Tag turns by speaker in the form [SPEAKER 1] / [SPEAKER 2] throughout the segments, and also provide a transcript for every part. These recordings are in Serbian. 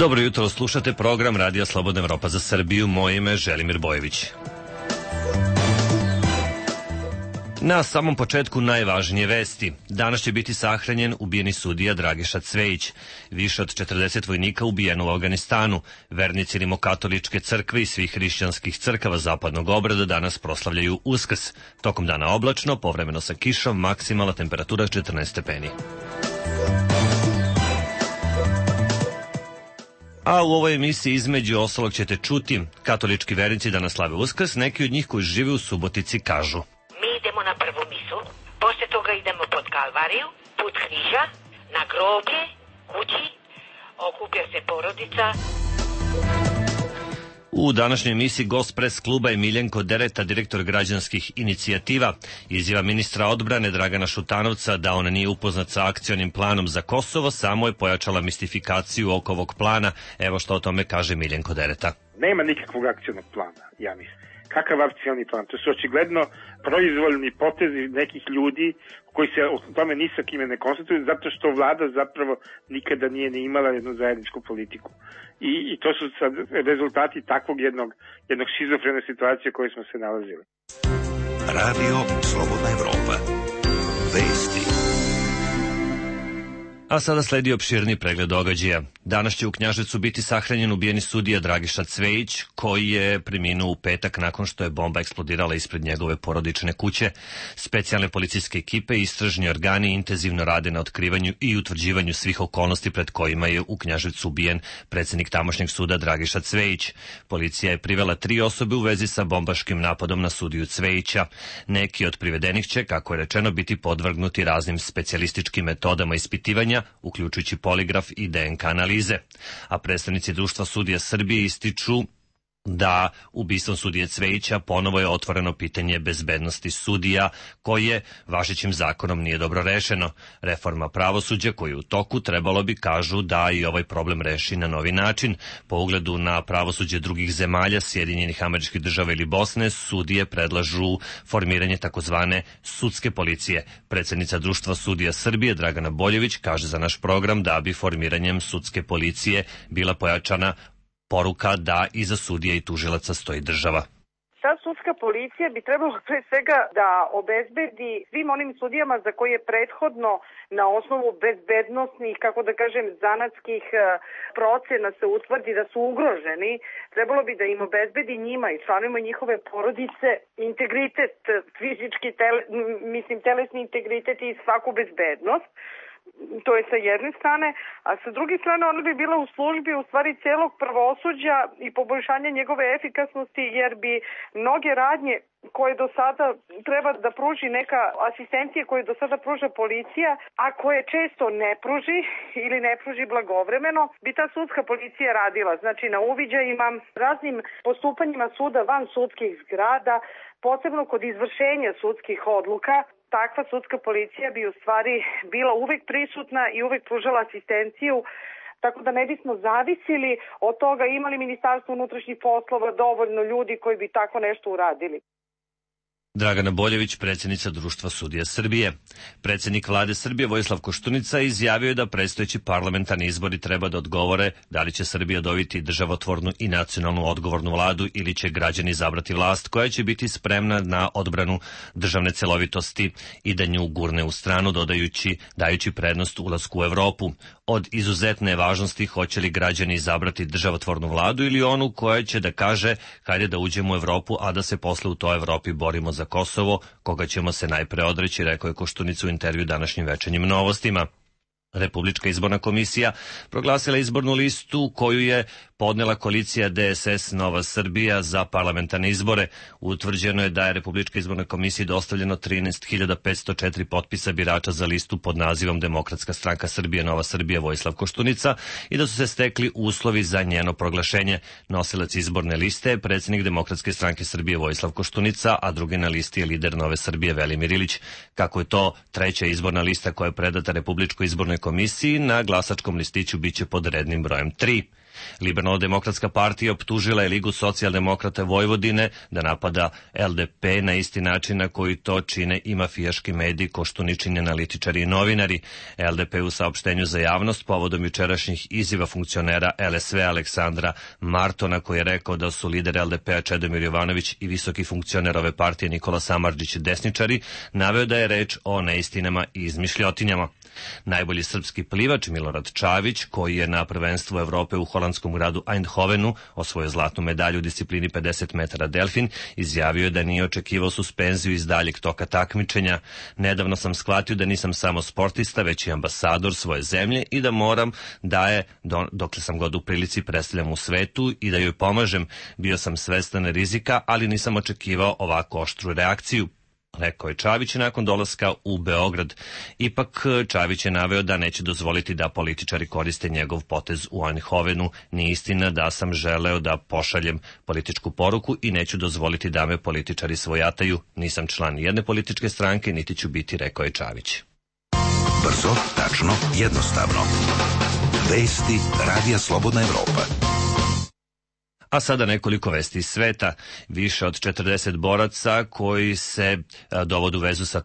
[SPEAKER 1] Dobro jutro, slušate program Radija Slobodna Evropa za Srbiju. Moje ime je Želimir Bojević. Na samom početku najvažnije vesti. Danas će biti sahranjen ubijeni sudija Dragiša Cvejić. Više od 40 vojnika ubijeno u Afganistanu. Vernici rimokatoličke crkve i svih hrišćanskih crkava zapadnog obrada danas proslavljaju Uskrs. Tokom dana oblačno, povremeno sa kišom, maksimalna temperatura 14 stepeni. A u ovoj emisiji između ostalog ćete čuti katolički vernici danas slave Uskrs. Neki od njih koji žive u Subotici kažu:
[SPEAKER 2] mi idemo na prvu misu, posle toga idemo pod Kalvariju, put križa, na groblje, kući, okuplja se porodica.
[SPEAKER 1] U današnjoj emisiji gost pres kluba je Miljenko Dereta, direktor građanskih inicijativa. Izjava ministra odbrane Dragana Šutanovca da on nije upoznat sa akcionim planom za Kosovo samo je pojačala mistifikaciju oko ovog plana. Evo što o tome kaže Miljenko Dereta.
[SPEAKER 3] Nema nikakvog akcionog plana, ja mislim. Kakav akcioni plan? To su očigledno proizvoljni potezi nekih ljudi koji se o tome ni sa kime ne konstatuju, zato što vlada zapravo nikada nije ni imala jednu zajedničku politiku. I to su sad rezultati takvog jednog šizofrene situacije u kojoj smo se nalazili.
[SPEAKER 4] Radio Slobodna Evropa. Vesti.
[SPEAKER 1] A sada sledi opširni pregled događaja. Danas će u Knjaževcu biti sahranjen ubijeni sudija Dragiša Cvejić, koji je preminuo u petak nakon što je bomba eksplodirala ispred njegove porodične kuće. Specijalne policijske ekipe i istražni organi intenzivno rade na otkrivanju i utvrđivanju svih okolnosti pred kojima je u Knjaževcu ubijen predsednik tamošnjeg suda Dragiša Cvejić. Policija je privela 3 osobe u vezi sa bombaškim napadom na sudiju Cvejića. Neki od privedenih će, kako je rečeno, biti podvrgnuti raznim specijalističkim metodama ispitivanja, uključujući poligraf i DNK analize. A predstavnici Društva sudija Srbije ističu da ubistvom sudije Cvejića ponovo je otvoreno pitanje bezbednosti sudija, koje važećim zakonom nije dobro rešeno. Reforma pravosuđa koja je u toku trebalo bi, kažu, da i ovaj problem reši na novi način. Po ugledu na pravosuđe drugih zemalja, Sjedinjenih Američkih Država ili Bosne, sudije predlažu formiranje takozvane sudske policije. Predsednica Društva sudija Srbije Dragana Boljević kaže za naš program da bi formiranjem sudske policije bila pojačana poruka da iza sudija i tužilaca stoji država.
[SPEAKER 5] Ta sudska policija bi trebalo pre svega da obezbedi svim onim sudijama za koje je prethodno na osnovu bezbednosnih, kako da kažem, zanatskih procena se utvrdi da su ugroženi. Trebalo bi da im obezbedi njima i članovima njihove porodice integritet, fizički, telesni integritet i svaku bezbednost. To je sa jedne strane, a sa druge strane ona bi bila u službi u stvari celog pravosuđa i poboljšanja njegove efikasnosti, jer bi mnoge radnje koje do sada treba da pruži neka asistencija koje do sada pruža policija, a koje često ne pruži ili ne pruži blagovremeno, bi ta sudska policija radila. Znači na uviđajima, raznim postupanjima suda van sudskih zgrada, posebno kod izvršenja sudskih odluka. Takva sudska policija bi u stvari bila uvek prisutna i uvek pružala asistenciju, tako da ne bismo zavisili od toga imali Ministarstvo unutrašnjih poslova dovoljno ljudi koji bi tako nešto uradili.
[SPEAKER 1] Dragana Boljević, predsjednica Društva sudija Srbije. Predsjednik vlade Srbije Vojislav Koštunica izjavio je da predstojeći parlamentarni izbori treba da odgovore da li će Srbija dobiti državotvornu i nacionalnu odgovornu vladu ili će građani izabrati vlast koja će biti spremna na odbranu državne celovitosti i da nju gurne u stranu, dajući prednost ulasku u Evropu. Od izuzetne važnosti hoće li građani izabrati državotvornu vladu ili onu koja će da kaže hajde da uđemo u Evropu, a da se posle u toj Evropi borimo za Kosovo, koga ćemo se najpre odreći, rekao je Koštunica u intervju današnjim Večernjim novostima. Republička izborna komisija proglasila izbornu listu koju je podnela koalicija DSS Nova Srbija za parlamentarne izbore. Utvrđeno je da je Republička izborna komisija dostavljeno 13.504 potpisa birača za listu pod nazivom Demokratska stranka Srbije Nova Srbija Vojislav Koštunica i da su se stekli uslovi za njeno proglašenje. Nosilac izborne liste je predsjednik Demokratske stranke Srbije Vojislav Koštunica, a drugi na listi je lider Nove Srbije Velimir Ilić. Kako je to treća izborna lista koja je predata Republičkoj izbornoj komisiji, na glasačkom listiću biće pod rednim brojem 3. Liberalno-demokratska partija optužila je Ligu socijaldemokrata Vojvodine da napada LDP na isti način na koji to čine i mafijaški mediji, Koštuničini analitičari i novinari. LDP u saopštenju za javnost povodom jučerašnjih izjava funkcionera LSV Aleksandra Martona, koji je rekao da su lider LDP-a Čedomir Jovanović i visoki funkcioner ove partije Nikola Samardžić desničari, naveo da je reč o neistinama i izmišljotinjama. Najbolji srpski plivač Milorad Čavić, koji je na prvenstvu Evrope u holandskom gradu Eindhovenu osvojio zlatnu medalju u disciplini 50 metara delfin, izjavio je da nije očekivao suspenziju iz daljeg toka takmičenja. Nedavno sam shvatio da nisam samo sportista, već i ambasador svoje zemlje i da moram da je, dokle sam god u prilici, predstavljam u svetu i da joj pomažem. Bio sam svestan rizika, ali nisam očekivao ovako oštru reakciju, rekao je Čavić nakon dolaska u Beograd. Ipak Čavić je naveo da neće dozvoliti da političari koriste njegov potez u Eindhovenu. Nije istina da sam želeo da pošaljem političku poruku i neću dozvoliti da me političari svojataju. Nisam član jedne političke stranke, niti ću biti, rekao je Čavić.
[SPEAKER 4] Brzo, tačno, jednostavno. Vesti Radija Slobodna Evropa.
[SPEAKER 1] A sada nekoliko vesti iz sveta. Više od 40 boraca koji se dovode u vezu sa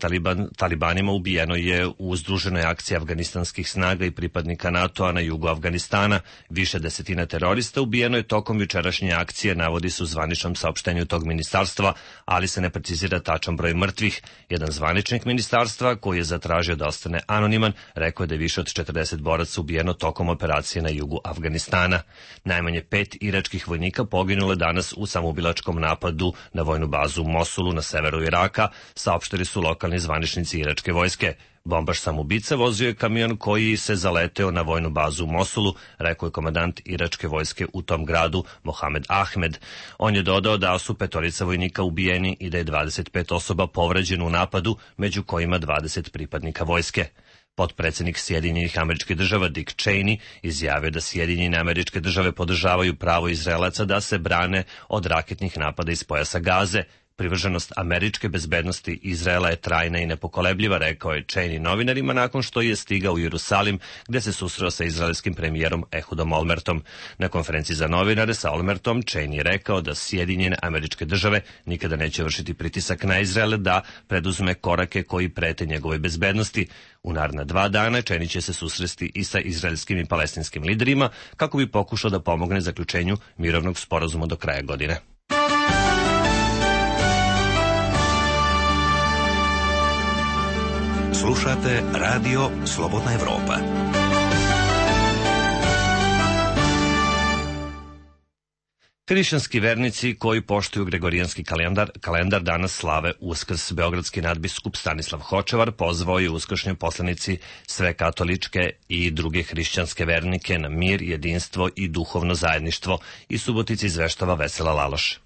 [SPEAKER 1] talibanima ubijeno je u združenoj akciji afganistanskih snaga i pripadnika NATO-a na jugu Afganistana. Više desetina terorista ubijeno je tokom jučerašnje akcije, navodi se u zvaničnom saopštenju tog ministarstva, ali se ne precizira tačan broj mrtvih. Jedan zvaničnik ministarstva, koji je zatražio da ostane anoniman, rekao je da je više od 40 boraca ubijeno tokom operacije na jugu Afganistana. Najmanje 5 iračkih vojnika poginulo danas u samoubilačkom napadu na vojnu bazu u Mosulu na severu Iraka, saopštili su lokalni zvaničnici iračke vojske. Bombaš samoubica vozio je kamion koji se zaleteo na vojnu bazu u Mosulu, rekao je komandant iračke vojske u tom gradu Mohamed Ahmed. On je dodao da su 5 vojnika ubijeni i da je 25 osoba povređeno u napadu, među kojima 20 pripadnika vojske. Potpredsednik Sjedinjenih Američkih Država Dick Cheney izjavio da Sjedinjene Američke Države podržavaju pravo Izraelaca da se brane od raketnih napada iz pojasa Gaze. Privrženost američke bezbednosti Izraela je trajna i nepokolebljiva, rekao je Cheney novinarima nakon što je stigao u Jerusalim, gde se susreo sa izraelskim premijerom Ehudom Olmertom. Na konferenciji za novinare sa Olmertom Cheney je rekao da Sjedinjene Američke Države nikada neće vršiti pritisak na Izrael da preduzme korake koji prete njegove bezbednosti. U naredna 2 dana Cheney će se susresti i sa izraelskim i palestinskim liderima kako bi pokušao da pomogne zaključenju mirovnog sporazuma do kraja godine.
[SPEAKER 4] Slušate Radio Slobodna Evropa.
[SPEAKER 1] Hrišćanski vernici koji poštuju gregorijanski kalendar danas slave Uskrs. Beogradski nadbiskup Stanislav Hočevar pozvao je uskršnje poslanici sve katoličke i druge hrišćanske vernike na mir, jedinstvo i duhovno zajedništvo. Iz Subotice izveštava Vesela Laloš.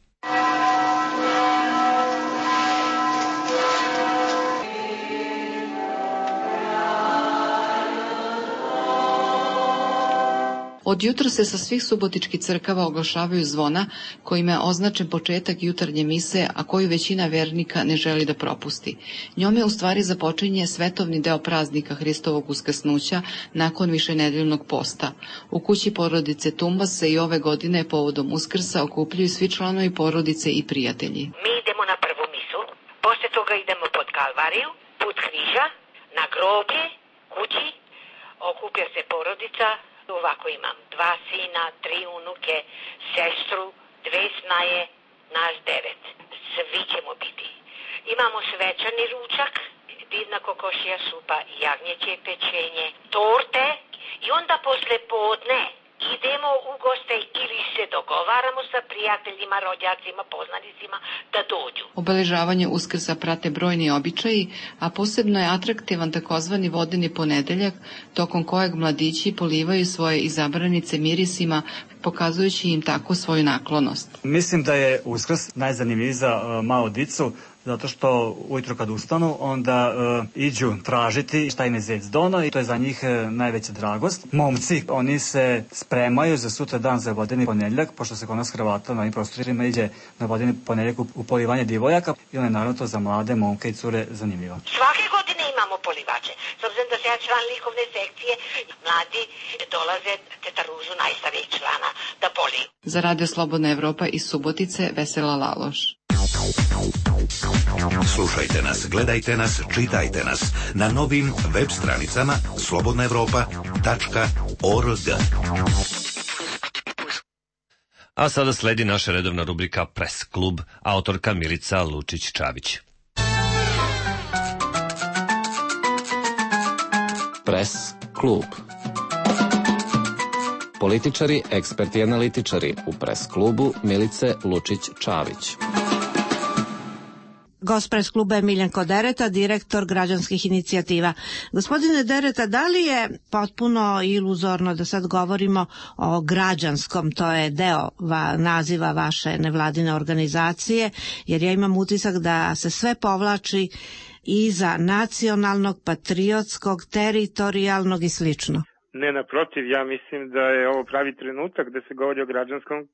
[SPEAKER 6] Od jutra se sa svih subotičkih crkava oglašavaju zvona kojima je označen početak jutarnje mise, a koju većina vernika ne želi da propusti. Njome u stvari započinje svetovni deo praznika Hristovog uskrsnuća nakon višenedeljnog posta. U kući porodice Tumbas se i ove godine povodom Uskrsa okupljaju svi članovi porodice i prijatelji.
[SPEAKER 2] Mi idemo na prvu misu, posle toga idemo pod Kalvariju, put križa, na groblje, kući, okuplja se porodica. Ovako imam 2 sina, 3 unuke, sestru, 2 snaje, nas 9. Svi ćemo biti. Imamo svečani ručak, divna kokošija supa, jagnjeće pečenje, torte i onda posle podne idemo u goste ili se dogovaramo sa prijateljima, rođacima, poznanicima da dođu.
[SPEAKER 6] Obeležavanje Uskrsa prate brojni običaji, a posebno je atraktivan takozvani vodeni ponedeljak, tokom kojeg mladići polivaju svoje izabranice mirisima, pokazujući im tako svoju naklonost.
[SPEAKER 7] Mislim da je Uskrs najzanimljiviji za malu dicu, zato što ujutro kad ustanu, onda iđu tražiti šta im je zec dono i to je za njih najveća dragost. Momci, oni se spremaju za sutra dan za vodeni ponedjeljak, pošto se kod nas Hrvata na ovim prostorima iđe na vodeni ponedjeljak u polivanje divojaka i onda je naravno to za mlade momke i cure zanimljivo.
[SPEAKER 2] Svake godine imamo polivače. S obzirom da se ja član likovne sekcije, mladi dolaze teta Ružu, najstarijeg člana, da poli.
[SPEAKER 6] Za Radio Slobodna Evropa iz Subotice, Vesela Laloš.
[SPEAKER 4] Slušajte nas, gledajte nas, čitajte nas na novim web stranicama slobodnaevropa.org.
[SPEAKER 1] A sada sledi naša redovna rubrika Press klub, autorka Milica Lučić-Čavić.
[SPEAKER 8] Press klub. Političari, eksperti i analitičari u Press klubu Milice Lučić-Čavić.
[SPEAKER 9] Gost Press kluba je Miljenko Dereta, direktor građanskih inicijativa. Gospodine Dereta, da li je potpuno iluzorno da sad govorimo o građanskom, to je deo naziva vaše nevladine organizacije, jer ja imam utisak da se sve povlači iza nacionalnog, patriotskog, teritorijalnog i slično.
[SPEAKER 3] Ne, naprotiv, ja mislim da je ovo pravi trenutak da se govori o građanskom,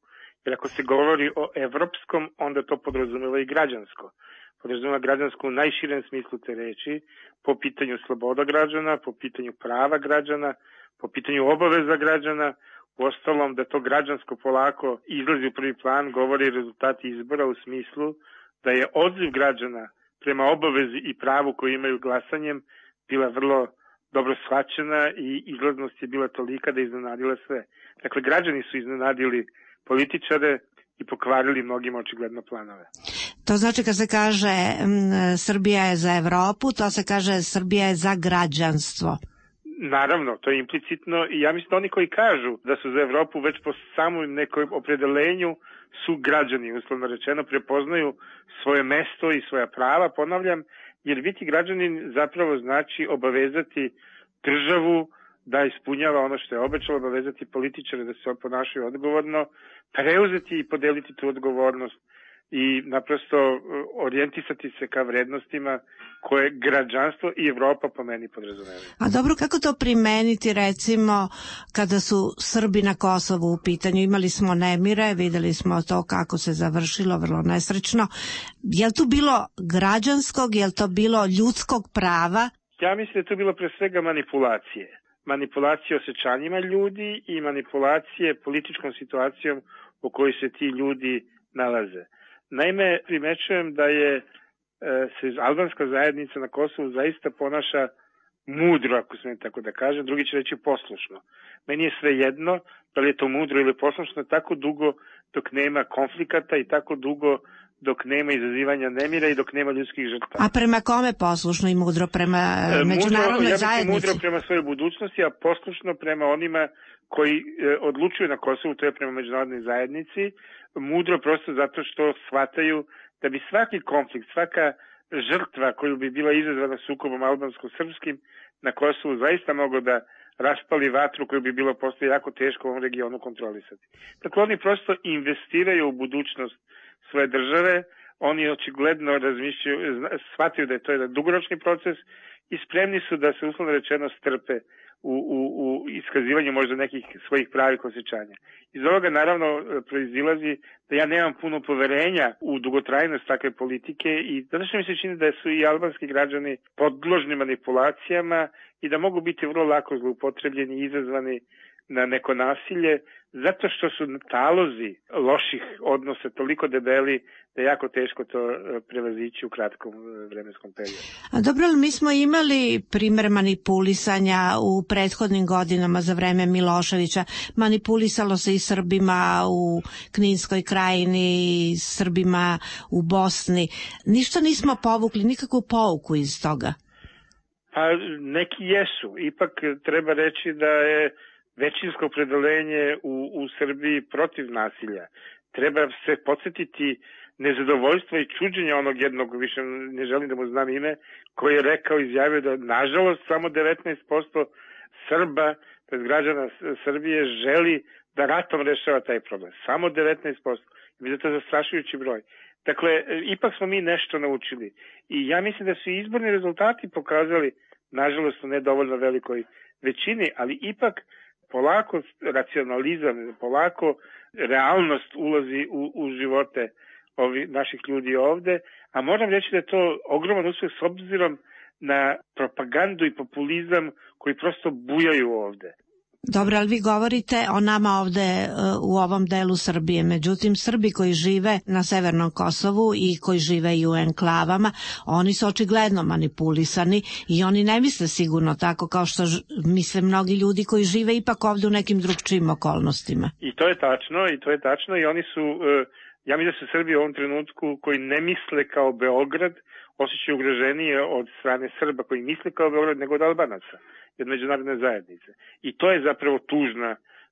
[SPEAKER 3] jer ako se govori o evropskom, onda to podrazumeva i građansko. Podrazumeva građansko u najširem smislu te reči, po pitanju sloboda građana, po pitanju prava građana, po pitanju obaveza građana. Uostalom, da to građansko polako izlazi u prvi plan, govori rezultati izbora u smislu da je odziv građana prema obavezi i pravu koju imaju glasanjem bila vrlo dobro shvaćena i izlaznost je bila tolika da je iznenadila sve. Dakle, građani su iznenadili političare i pokvarili mnogima očigledno planove.
[SPEAKER 9] To znači kad se kaže Srbija je za Evropu, to se kaže Srbija je za građanstvo.
[SPEAKER 3] Naravno, to je implicitno i ja mislim da oni koji kažu da su za Evropu već po samom nekom opredelenju su građani, uslovno rečeno, prepoznaju svoje mesto i svoja prava, ponavljam, jer biti građanin zapravo znači obavezati državu da ispunjava ono što je obećalo, obavezati političare da se ponašaju odgovorno, preuzeti i podeliti tu odgovornost i naprosto orijentisati se ka vrednostima koje građanstvo i Evropa po meni podrazumevaju.
[SPEAKER 9] A dobro, kako to primeniti recimo kada su Srbi na Kosovu u pitanju? Imali smo nemire, videli smo to kako se završilo, vrlo nesrećno. Je li tu bilo građanskog, je li to bilo ljudskog prava?
[SPEAKER 3] Ja mislim da je tu bilo pre svega manipulacije. Manipulacije osjećanjima ljudi i manipulacije političkom situacijom u kojoj se ti ljudi nalaze. Naime, primećujem da se albanska zajednica na Kosovu zaista ponaša mudro, ako smijem tako da kažem, drugi će reći poslušno. Meni je sve jedno da li je to mudro ili poslušno tako dugo dok nema konflikata i tako dugo dok nema izazivanja nemira i dok nema ljudskih žrtava.
[SPEAKER 9] A prema kome poslušno i mudro? Prema međunarodnoj zajednici?
[SPEAKER 3] Mudro prema svojoj budućnosti, a poslušno prema onima koji odlučuju na Kosovu, to je prema međunarodnoj zajednici. Mudro prosto zato što shvataju da bi svaki konflikt, svaka žrtva koju bi bila izazvana sukobom albansko-srpskim na Kosovu zaista mogo da raspali vatru koju bi bilo postoje jako teško u ovom regionu kontrolisati. Dakle, oni prosto investiraju u budućnost svoje države, oni očigledno shvataju da je to jedan dugoročni proces i spremni su da se uslovno rečeno strpe u iskazivanju možda nekih svojih pravih osjećanja. Iz ovoga naravno proizilazi da ja nemam puno poverenja u dugotrajnost takve politike i zato što mi se čini da su i albanski građani podložni manipulacijama i da mogu biti vrlo lako zloupotrebljeni i izazvani na neko nasilje, zato što su talozi loših odnosa toliko debeli da je jako teško to prevazići u kratkom vremenskom periodu.
[SPEAKER 9] A dobro, ali mi smo imali primer manipulisanja u prethodnim godinama za vreme Miloševića. Manipulisalo se i Srbima u Kninskoj krajini, i Srbima u Bosni. Ništa nismo povukli, nikakvu pouku iz toga.
[SPEAKER 3] Pa neki jesu. Ipak treba reći da je većinsko opredeljenje u Srbiji protiv nasilja. Treba se podsjetiti nezadovoljstva i čuđenja onog jednog, više ne želim da mu znam ime, koji je rekao, izjavio da nažalost samo 19% Srba, tj. građana Srbije, želi da ratom rešava taj problem. Samo 19%. I to je zastrašujući broj. Dakle, ipak smo mi nešto naučili. I ja mislim da su izborni rezultati pokazali, nažalost u nedovoljno velikoj većini, ali ipak polako racionalizam, polako realnost ulazi u živote naših ljudi ovde, a moram reći da je to ogroman uspeh s obzirom na propagandu i populizam koji prosto bujaju ovde.
[SPEAKER 9] Dobro, ali vi govorite o nama ovde u ovom delu Srbije. Međutim, Srbi koji žive na severnom Kosovu i koji žive i u enklavama, oni su očigledno manipulisani i oni ne misle sigurno tako kao što misle mnogi ljudi koji žive ipak ovde u nekim drugčijim okolnostima.
[SPEAKER 3] I to je tačno i oni su, ja mislim da su Srbi u ovom trenutku koji ne misle kao Beograd, osjećaju ugroženije od strane Srba koji misle kao Beograd nego od Albanaca, od međunarodne zajednice. I to je zapravo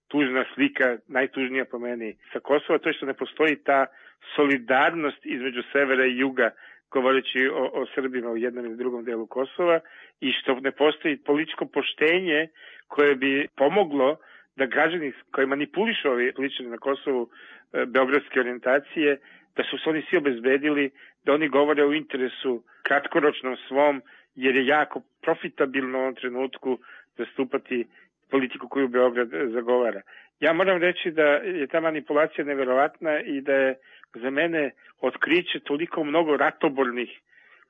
[SPEAKER 3] tužna slika, najtužnija po meni sa Kosova, to je što ne postoji ta solidarnost između severa i juga, govoreći o Srbima u jednom ili drugom delu Kosova, i što ne postoji političko poštenje koje bi pomoglo da građani koji manipulišu ovi političari na Kosovu beogradske orijentacije, da su se oni svi obezbedili, da oni govore o interesu kratkoročnom svom, jer je jako profitabilno u ovom trenutku zastupati politiku koju Beograd zagovara. Ja moram reći da je ta manipulacija neverovatna i da je za mene otkriće toliko mnogo ratobornih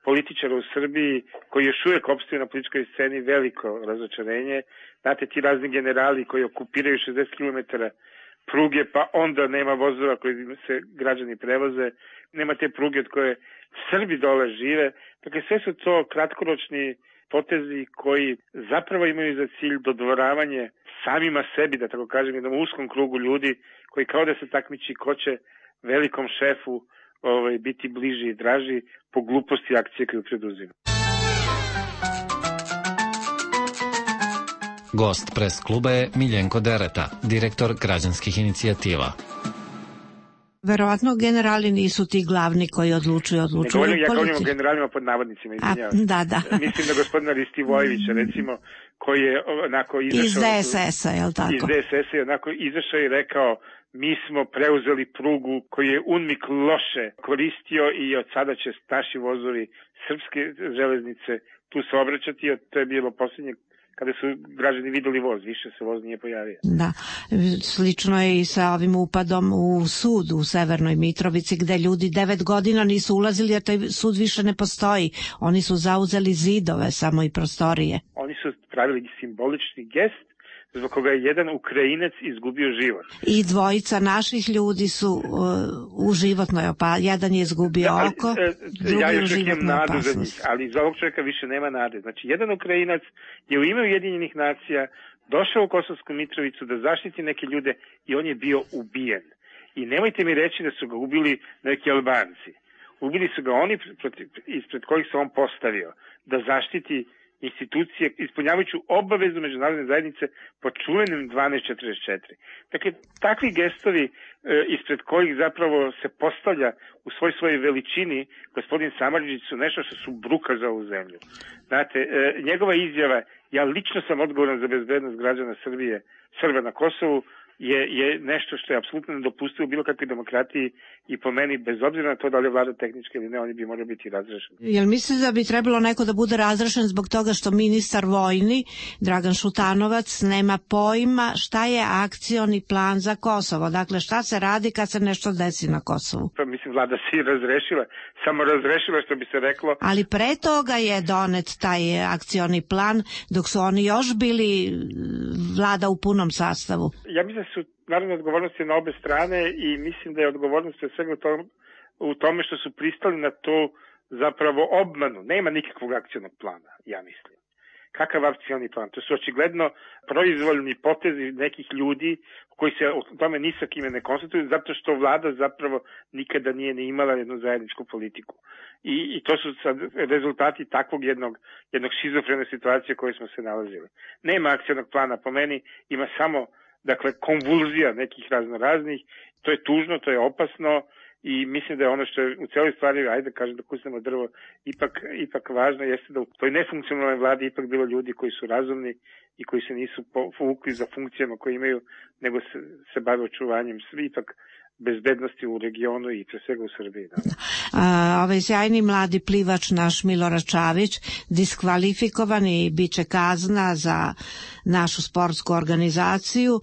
[SPEAKER 3] političara u Srbiji koji još uvijek opstaju na političkoj sceni veliko razočarenje. Znate, ti razni generali koji okupiraju 60 km pruge, pa onda nema vozova koji se građani prevoze, nema te pruge od koje Srbi dole žive. Dakle, sve su to kratkoročni potezi koji zapravo imaju za cilj dodvoravanje samima sebi, da tako kažem, jednom uskom krugu ljudi koji kao da se takmiči ko će velikom šefu biti bliži i draži po gluposti akcije koju preduzima.
[SPEAKER 8] Gost pres kluba je Miljenko Dereta, direktor građanskih inicijativa.
[SPEAKER 9] Verovatno generali nisu ti glavni koji odlučuju.
[SPEAKER 3] Ja govorim o generalima pod navodnicima, izvinjavam.
[SPEAKER 9] Da.
[SPEAKER 3] Mislim da gospodina Ristivojevića, recimo, koji je onako izašao...
[SPEAKER 9] Iz DSS-a, je li tako?
[SPEAKER 3] Iz DSS-a je onako izašao i rekao: mi smo preuzeli prugu koju je UNMIK loše koristio i od sada će naši vozovi srpske železnice tu se obraćati. To je bilo posljednje kada su građani videli voz, više se voz nije pojavio.
[SPEAKER 9] Da, slično je i sa ovim upadom u sud u Severnoj Mitrovici, gde ljudi 9 godina nisu ulazili, jer taj sud više ne postoji. Oni su zauzeli zidove samo i prostorije.
[SPEAKER 3] Oni su pravili simbolični gest zbog koga je jedan Ukrajinac izgubio život.
[SPEAKER 9] I dvojica naših ljudi su u životnoj opasnosti. Jedan je izgubio oko, drugi u životnoj opasnosti.
[SPEAKER 3] Ali za ovog čovjeka više nema nade. Znači, jedan Ukrajinac je u ime Ujedinjenih nacija došao u Kosovsku Mitrovicu da zaštiti neke ljude i on je bio ubijen. I nemojte mi reći da su ga ubili neki Albanci. Ubili su ga oni ispred kojih se on postavio da zaštiti institucije, ispunjavajući obavezu međunarodne zajednice po čuvenim 1244. Dakle, takvi gestovi ispred kojih zapravo se postavlja u svojoj veličini gospodin Samardžić su nešto što su bruka za ovu zemlju. Znate, njegova izjava, ja lično sam odgovoran za bezbednost građana Srba na Kosovu, je nešto što je apsolutno nedopustivo u bilo kakvoj demokratiji i po meni, bez obzira na to da li je vlada tehnička ili ne, oni bi morali biti razrešeni.
[SPEAKER 9] Jel mislite da bi trebalo neko da bude razrešen zbog toga što ministar vojni, Dragan Šutanovac, nema pojma šta je akcioni plan za Kosovo? Dakle, šta se radi kad se nešto desi na Kosovu?
[SPEAKER 3] Pa mislim, vlada si razrešila, samo razrešila što bi se reklo.
[SPEAKER 9] Ali pre toga je donet taj akcioni plan dok su oni još bili vlada u punom sastavu.
[SPEAKER 3] Ja mislim da su naravno odgovornosti na obe strane i mislim da je odgovornost pre svega u tome što su pristali na to zapravo obmanu. Nema nikakvog akcionog plana, ja mislim. Kakav akcioni plan? To su očigledno proizvoljni potezi nekih ljudi koji se o tome ni sa kime ne konstatuju, zato što vlada zapravo nikada nije ni imala jednu zajedničku politiku. I to su sad rezultati takvog jednog šizofrene situacije u kojoj smo se nalazili. Nema akcionog plana, po meni ima samo konvulzija nekih raznoraznih, to je tužno, to je opasno i mislim da je ono što je u cijeloj stvari, ajde kažem da kusnemo drvo, ipak važno jeste da u toj nefunkcionalnoj vladi ipak bilo ljudi koji su razumni i koji se nisu povukli za funkcijama koje imaju, nego se bave očuvanjem ipak bezbednosti u regionu i pre svega u Srbiji. Da.
[SPEAKER 9] Ovaj sjajni mladi plivač naš Milorad Čavić diskvalifikovan i bit će kazna za našu sportsku organizaciju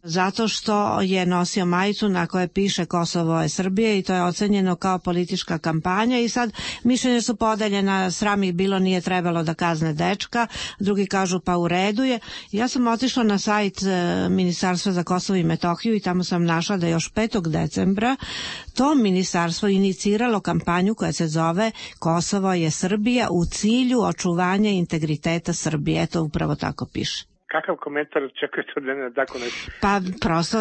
[SPEAKER 9] zato što je nosio majicu na kojoj piše Kosovo je Srbije i to je ocenjeno kao politička kampanja i sad mišljenje su podeljena, sram ih bilo, nije trebalo da kazne dečka, drugi kažu pa u redu je. Ja sam otišla na sajt Ministarstva za Kosovo i Metohiju i tamo sam našla da još 5. decembra to ministarstvo iniciralo kampanju koja se zove Kosovo je Srbija u cilju očuvanja integriteta Srbije. Eto, upravo tako piše.
[SPEAKER 3] Kakav komentar čekate od mene tako nešto?
[SPEAKER 9] Pa prosto,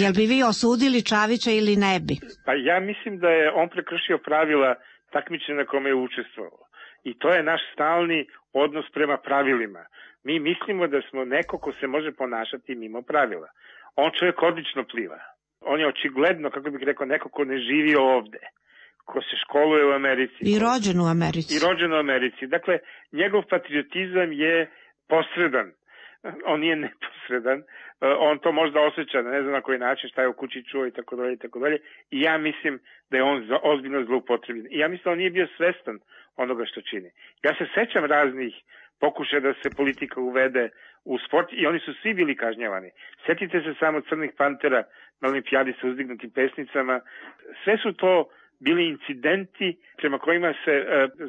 [SPEAKER 9] jel bi vi osudili Čavića ili ne bi?
[SPEAKER 3] Pa ja mislim da je on prekršio pravila takmičenja na kome je učestvovao. I to je naš stalni odnos prema pravilima. Mi mislimo da smo neko ko se može ponašati mimo pravila. On čovjek odlično pliva. On je očigledno, kako bih rekao, neko ko ne živi ovde, ko se školuje u Americi.
[SPEAKER 9] I rođen u Americi.
[SPEAKER 3] I rođen u Americi. Dakle, njegov patriotizam je posredan. On nije neposredan, on to možda osjeća, ne znam na koji način, šta je u kući čuo i tako dalje i tako dalje. I ja mislim da je on ozbiljno zloupotrebljen. I ja mislim da on nije bio svestan onoga što čini. Ja se sećam raznih pokušaja da se politika uvede u sport i oni su svi bili kažnjavani. Setite se samo Crnih pantera na olimpijadi sa uzdignutim pesnicama. Sve su to bili incidenti prema kojima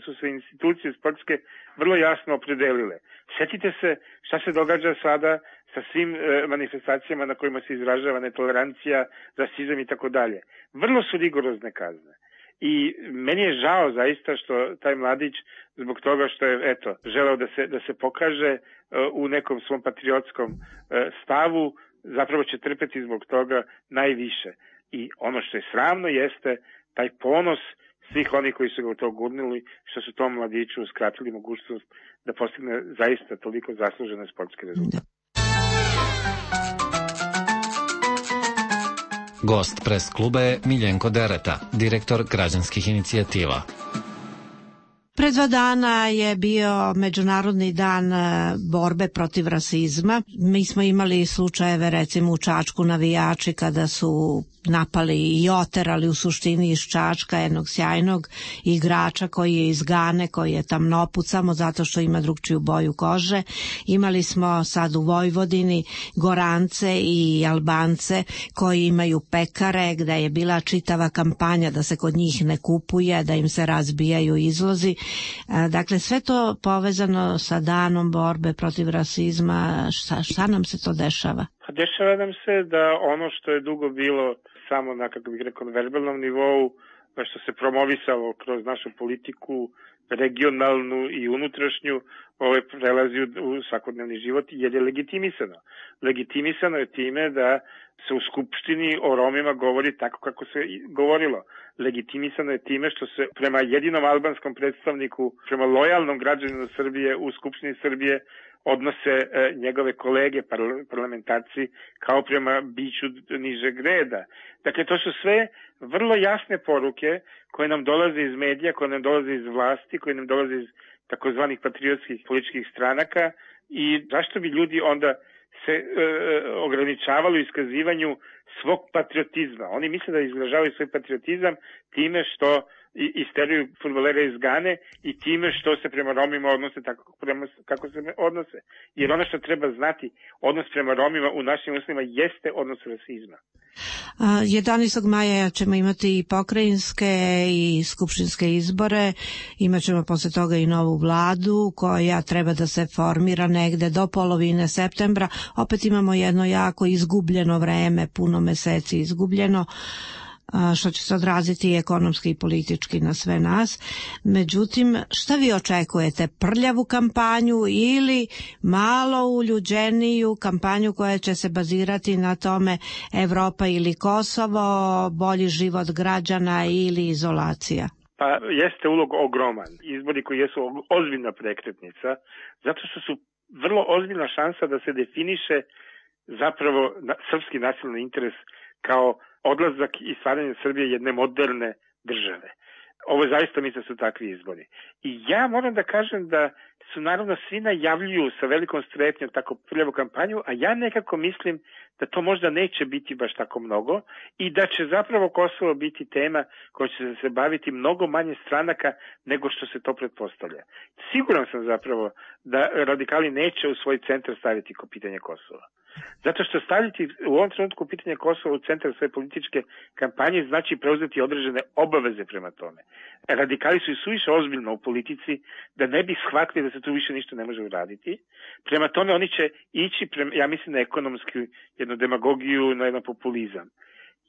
[SPEAKER 3] su se institucije sportske vrlo jasno opredelile. Setite se šta se događa sada sa svim manifestacijama na kojima se izražava netolerancija, rasizam i tako dalje. Vrlo su rigorozne kazne. I meni je žao zaista što taj mladić zbog toga što je želeo da se pokaže u nekom svom patriotskom stavu, zapravo će trpeti zbog toga najviše. I ono što je sramno jeste taj ponos svih onih koji su ga u to gurnuli, što su tom mladiću uskratili mogućnost da postigne zaista toliko zaslužene sportske rezultate.
[SPEAKER 8] Gost pres kluba je Miljenko Dereta, direktor građanskih inicijativa.
[SPEAKER 9] Pre 2 dana je bio Međunarodni dan borbe protiv rasizma. Mi smo imali slučajeve recimo u Čačku navijači kada su napali i oterali u suštini iz Čačka jednog sjajnog igrača koji je iz Gane, koji je tamnoput samo zato što ima drugčiju boju kože. Imali smo sad u Vojvodini Gorance i Albance koji imaju pekare gde je bila čitava kampanja da se kod njih ne kupuje, da im se razbijaju izlozi. Dakle, sve to povezano sa danom borbe protiv rasizma. Šta nam se to dešava?
[SPEAKER 3] Dešava nam se da ono što je dugo bilo samo na, kako bih rekao, verbalnom nivou, što se promovisalo kroz našu politiku, regionalnu i unutrašnju, prelazi u svakodnevni život jer je legitimisano. Legitimisano je time da se u Skupštini o Romima govori tako kako se govorilo. Legitimisano je time što se prema jedinom albanskom predstavniku, prema lojalnom građaninu Srbije u Skupštini Srbije odnose njegove kolege, parlamentarci, kao prema biću nižeg reda. Dakle, to su sve vrlo jasne poruke koje nam dolaze iz medija, koje nam dolaze iz vlasti, koje nam dolaze iz takozvanih patriotskih političkih stranaka i zašto bi ljudi onda se ograničavali u iskazivanju svog patriotizma. Oni misle da izražavaju svoj patriotizam time što isteruju fudbalere iz Gane i time što se prema Romima odnose tako kako se odnose. Jer ono što treba znati, odnos prema Romima u našim uslovima jeste odnos rasizma.
[SPEAKER 9] 11. maja ćemo imati i pokrajinske i skupštinske izbore, imat ćemo posle toga i novu vladu koja treba da se formira negde do polovine septembra. Opet imamo jedno jako izgubljeno vreme, puno meseci izgubljeno, što će se odraziti i ekonomski i politički na sve nas. Međutim, šta vi očekujete? Prljavu kampanju ili malo uljuđeniju kampanju koja će se bazirati na tome Evropa ili Kosovo, bolji život građana ili izolacija?
[SPEAKER 3] Pa jeste ulog ogroman. Izbori koji jesu ozbiljna prekretnica, zato što su vrlo ozbiljna šansa da se definiše zapravo srpski nacionalni interes kao odlazak i stvaranje Srbije jedne moderne države. Ovo zaista mislim su takvi izbori. I ja moram da kažem da su naravno svi najavljuju sa velikom strepnjom tako prljavu kampanju, a ja nekako mislim da to možda neće biti baš tako mnogo i da će zapravo Kosovo biti tema koja će se baviti mnogo manje stranaka nego što se to pretpostavlja. Siguran sam zapravo da radikali neće u svoj centar staviti ko pitanje Kosova. Zato što staviti u ovom trenutku pitanje Kosova u centar svoje političke kampanje znači preuzeti određene obaveze prema tome. Radikali su i suviše ozbiljno u politici da ne bi shvatili da se tu više ništa ne može uraditi. Prema tome oni će ići, ja mislim, na ekonomsku jednu demagogiju, na jedan populizam.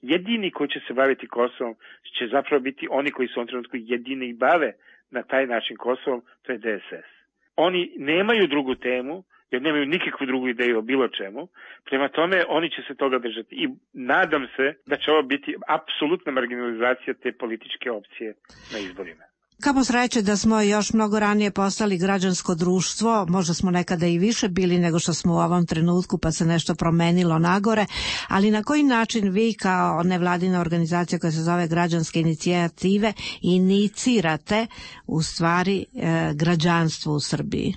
[SPEAKER 3] Jedini koji će se baviti Kosovom će zapravo biti oni koji su u ovom trenutku jedini i bave na taj način Kosovom, to je DSS. Oni nemaju drugu temu, jer nemaju nikakvu drugu ideju o bilo čemu. Prema tome, oni će se toga držati. I nadam se da će ovo biti apsolutna marginalizacija te političke opcije na izborima.
[SPEAKER 9] Kamo sreće da smo još mnogo ranije postali građansko društvo, možda smo nekada i više bili nego što smo u ovom trenutku, pa se nešto promenilo nagore, ali na koji način vi kao nevladina organizacija koja se zove Građanske inicijative inicirate u stvari građanstvo u Srbiji?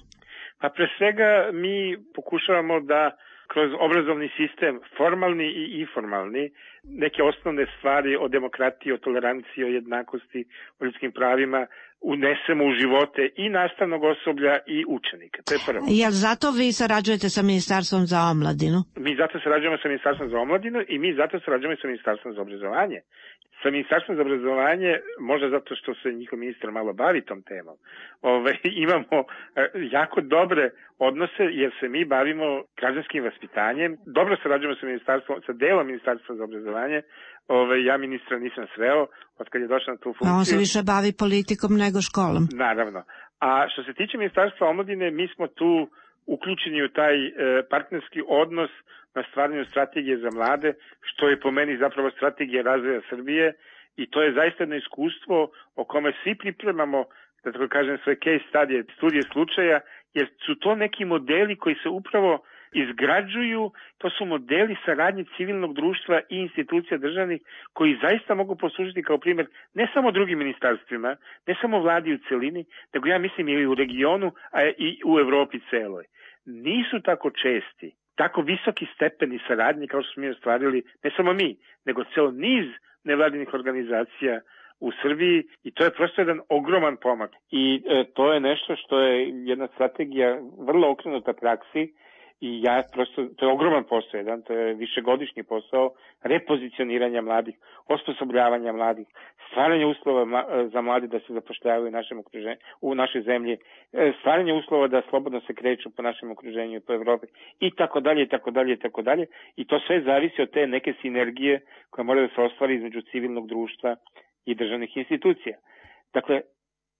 [SPEAKER 3] Pa pre svega mi pokušavamo da kroz obrazovni sistem, formalni i informalni, neke osnovne stvari o demokratiji, o toleranciji, o jednakosti, o ljudskim pravima unesemo u živote i nastavnog osoblja i učenika. To je prvo.
[SPEAKER 9] Jel zato vi sarađujete sa Ministarstvom za omladinu?
[SPEAKER 3] Mi zato sarađujemo sa Ministarstvom za omladinu i mi zato sarađujemo sa Ministarstvom za obrazovanje. Sa Ministarstvom za obrazovanje, možda zato što se njihov ministar malo bavi tom temom, imamo jako dobre odnose jer se mi bavimo građanskim vaspitanjem. Dobro sarađujemo sa delom Ministarstva za obrazovanje. Ja ministra nisam sreo od kad je došao na tu funkciju.
[SPEAKER 9] A on se više bavi politikom nego školom.
[SPEAKER 3] Naravno. A što se tiče Ministarstva omladine, mi smo tu uključeni u taj partnerski odnos na stvaranju strategije za mlade, što je po meni zapravo strategija razvoja Srbije i to je zaista jedno iskustvo o kome svi pripremamo, da tako kažem, svoje case studije slučaja, jer su to neki modeli koji se upravo izgrađuju, to su modeli saradnje civilnog društva i institucija državnih koji zaista mogu poslužiti kao primjer ne samo drugim ministarstvima, ne samo vladi u celini, nego ja mislim i u regionu, a i u Evropi celoj. Nisu tako česti, tako visoki stepeni saradnje kao što smo mi ostvarili, ne samo mi, nego ceo niz nevladinih organizacija u Srbiji i to je prosto jedan ogroman pomak. I to je nešto što je jedna strategija vrlo okrenuta praksi i to je ogroman posao, to je višegodišnji posao repozicioniranja mladih, osposobljavanja mladih, stvaranja uslova za mladi da se zapošljavaju u našoj zemlji, stvaranje uslova da slobodno se kreću po našem okruženju i po Evropi i tako dalje, i tako dalje, i tako dalje. I to sve zavisi od te neke sinergije koja mora da se ostvari između civilnog društva i državnih institucija. Dakle,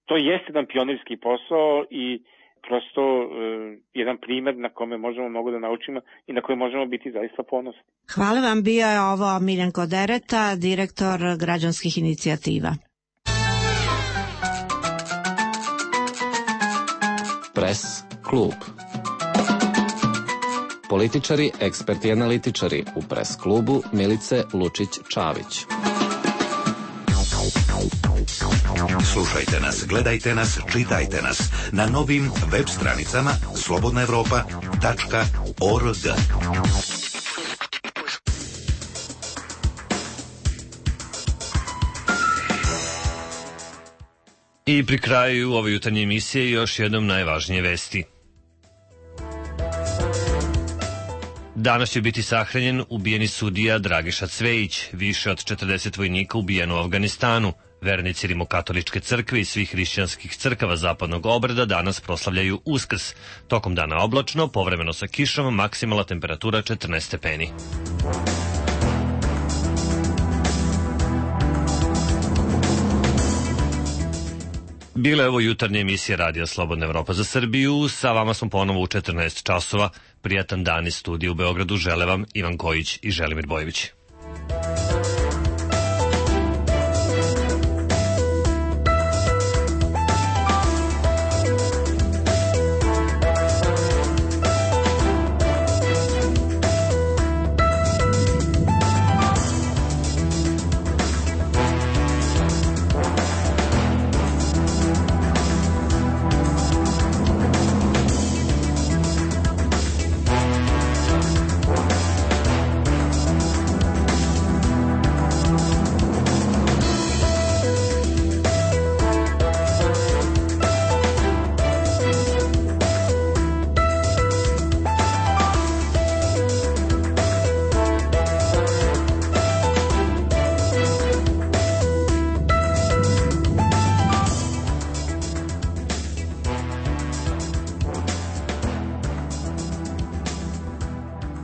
[SPEAKER 3] to jeste jedan pionirski posao i prosto jedan primjer na kome možemo mnogo da naučimo i na koji možemo biti zaista ponosni.
[SPEAKER 9] Hvala vam, bio je ovo Miljenko Dereta, direktor Građanskih inicijativa.
[SPEAKER 8] Press klub. Političari, eksperti i analitičari u Press klubu Milice Lučić-Čavić.
[SPEAKER 4] Slušajte nas, gledajte nas, čitajte nas na novim web stranicama slobodnaevropa.org.
[SPEAKER 1] I pri kraju ove jutarnje emisije još jednom najvažnije vesti. Danas će biti sahranjen ubijeni sudija Dragiša Cvejić, više od 40 vojnika ubijeno u Afganistanu. Vernici Rimokatoličke crkve i svih hrišćanskih crkava zapadnog obreda danas proslavljaju Uskrs. Tokom dana oblačno, povremeno sa kišom, maksimalna temperatura 14 stepeni. Bila je ovo jutarnja emisija Radija Slobodna Evropa za Srbiju. Sa vama smo ponovo u 14 časova. Prijatan dan iz studija u Beogradu žele vam Ivan Kojić i Želimir Bojević.